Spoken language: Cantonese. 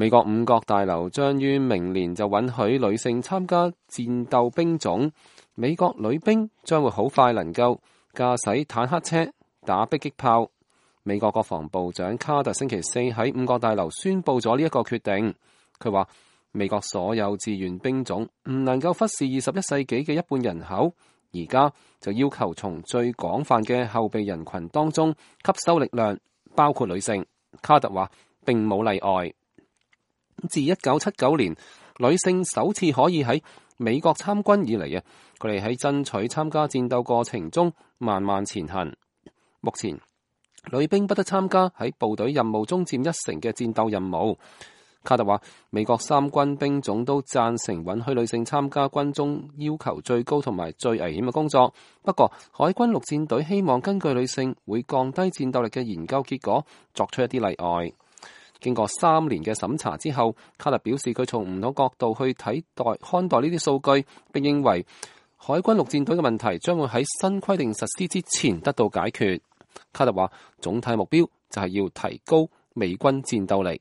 美國五角大樓將於明年就允許女性參加戰鬥兵種，美國女兵將會好快能夠駕駛坦克車、打迫擊炮。美國國防部長卡特星期四喺五角大樓宣布咗呢一個決定。佢話美國所有志願兵種唔能夠忽視21世紀嘅一半人口，而家就要求從最廣泛嘅後備人群當中吸收力量，包括女性。卡特話並冇例外。自1979年女性首次可以喺美國參軍以嚟啊，佢哋喺爭取參加戰鬥過程中慢慢前行。目前女兵不得參加喺部隊任務中佔1成嘅戰鬥任務。卡特話美國3軍兵種都贊成允許女性參加軍中要求最高同埋最危險嘅工作，不過海軍陸戰隊希望根據女性會降低戰鬥力嘅研究結果作出一啲例外。經過3年嘅審查之後，卡特表示佢從唔同角度去看待呢啲數據，並認為海軍陸戰隊嘅問題將會喺新規定實施之前得到解決。卡特話總體目標就係要提高美軍戰鬥力。